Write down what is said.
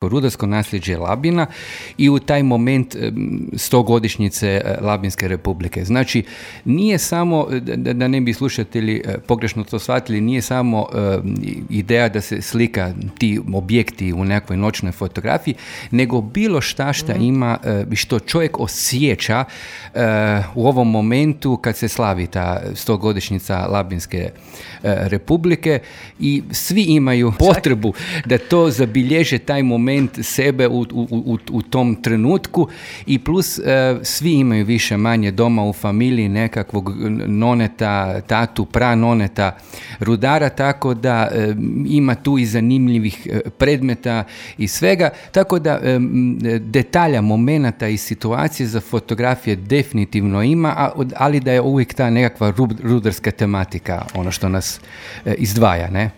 rudarsko nasljeđe Labina i u taj moment 100-godišnjice Labinske republike. Znači, nije samo, da ne bi slušatelji pogrešno to shvatili, nije samo ideja da se slika ti objekti u nekoj noćnoj fotografiji, nego bilo šta ima, što čovjek osjeća u ovom momentu kad se slavi ta 100-godišnjica Labinske republike i svi imaju potrebu da to zabilježe taj moment sebe u tom trenutku i plus svi imaju više manje doma u familiji nekakvog noneta, tatu, pranoneta, rudara, tako da ima tu i zanimljivih predmeta i svega, tako da detalja, momenata i situacije za fotografije definitivno ima, ali da je uvijek ta nekakva rudarska tematika ono što nas izdvaja, ne?